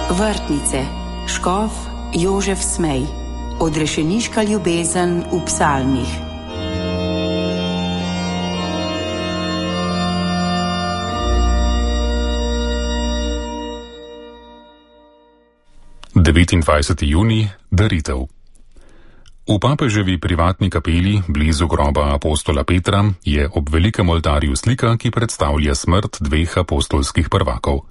Vrtnice, škof Jožef Smej, odrešeniška ljubezen v psalmih. Junij, daritev. V papeževi privatni kapeli blizu groba apostola Petra je ob velikem oltarju slika, ki predstavlja smrt dveh apostolskih prvakov.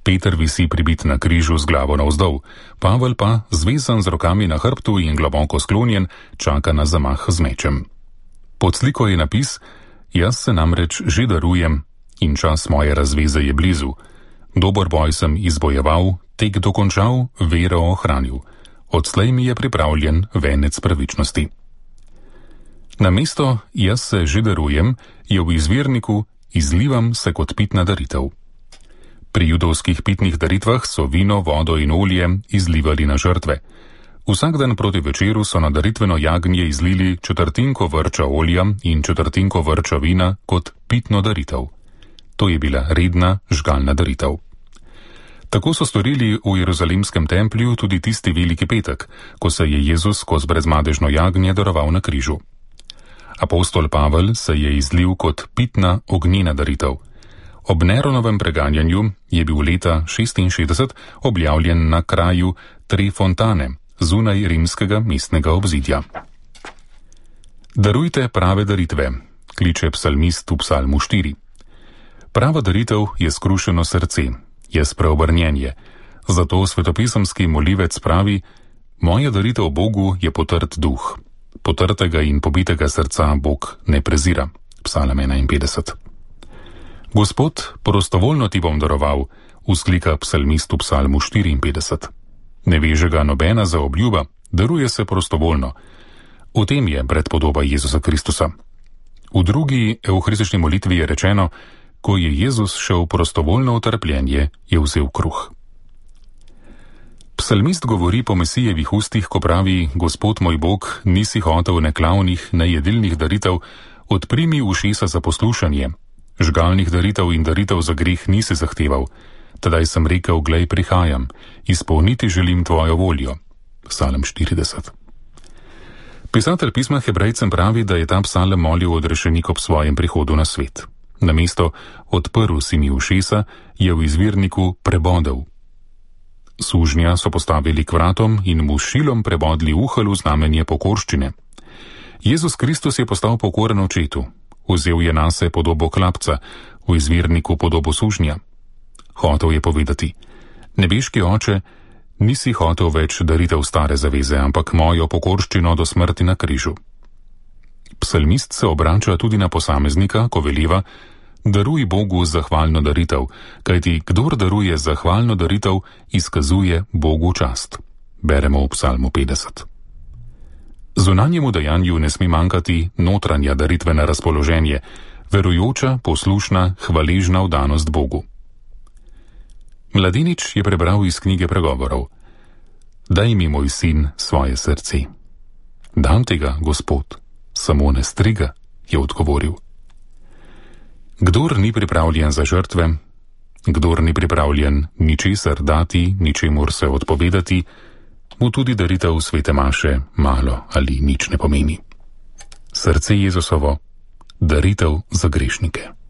Peter visi pribit na križu z glavo navzdol, Pavel pa, zvezan z rokami na hrbtu in globoko sklonjen, čaka na zamah z mečem. Pod sliko je napis: Jaz se namreč že darujem in čas moje razveze je blizu. Dober boj sem izbojeval, tek dokončal, vero ohranil. Odslej mi je pripravljen venec pravičnosti. Namesto jaz se že darujem je v izvirniku izlivam se kot pitna daritev. Pri judovskih pitnih daritvah so vino, vodo in olje izlivali na žrtve. Vsak dan proti večeru so na daritveno jagnje izlili četrtinko vrča olja in četrtinko vrča vina kot pitno daritev. To je bila redna žgalna daritev. Tako so storili v Jeruzalemskem templju tudi tisti veliki petek, ko se je Jezus skozi brezmadežno jagnje daroval na križu. Apostol Pavel se je izlil kot pitna ognjena daritev. Ob Neronovem preganjanju je bil leta 66 objavljen na kraju Tre Fontane, zunaj rimskega mestnega obzidja. Darujte prave daritve, kliče psalmist v psalmu 4. Prava daritev je skrušeno srce, je spreobrnjenje. Zato svetopisemski molivec pravi: moja daritev Bogu je potrt duh. Potrtega in pobitega srca Bog ne prezira. Psalm 51. Gospod, prostovoljno ti bom daroval, vzklika psalmist v psalmu 54. Ne veže ga nobena zaobljuba, daruje se prostovoljno. V tem je predpodoba Jezusa Kristusa. V drugi evharistični molitvi je rečeno: ko je Jezus šel prostovoljno v trpljenje, je vzel kruh. Psalmist govori po Mesijevih ustih, ko pravi: Gospod moj Bog, nisi hotel ne klavnih, ne jedilnih daritev, odprimi ušesa za poslušanje. Žgalnih daritev in daritev za greh nisi zahteval. Tedaj sem rekel: glej, prihajam, izpolniti želim tvojo voljo. Psalm 40. Pisatelj pisma Hebrejcem pravi, da je ta psalm molil odrešenik ob svojem prihodu na svet. Namesto odprl si mi ušesa, je v izvirniku prebodel. Sužnja so postavili k vratom in mu s šilom prebodli uhelj v znamenje pokorščine. Jezus Kristus je postal pokoren očetu. Vzel je nase podobo klapca, v izvirniku podobo sužnja. Hotel je povedati: nebeški oče, nisi hotel več daritev stare zaveze, ampak mojo pokorščino do smrti na križu. Psalmist se obrača tudi na posameznika, ko veliva: daruj Bogu zahvalno daritev, kajti kdor daruje zahvalno daritev, izkazuje Bogu čast. Beremo v psalmu 50. Zunanjemu dejanju ne sme manjkati notranja daritvena razpoloženje, verujoča, poslušna, hvaležna vdanost Bogu. Mladenič je prebral iz knjige pregovorov: daj mi, moj sin, svoje srce. Dam tega, Gospod, samo ne striga, je odgovoril. Kdor ni pripravljen za žrtve, kdor ni pripravljen ničesar dati, ničemur se odpovedati, mu tudi daritev svete maše malo ali nič ne pomeni. Srce Jezusovo, daritev za grešnike.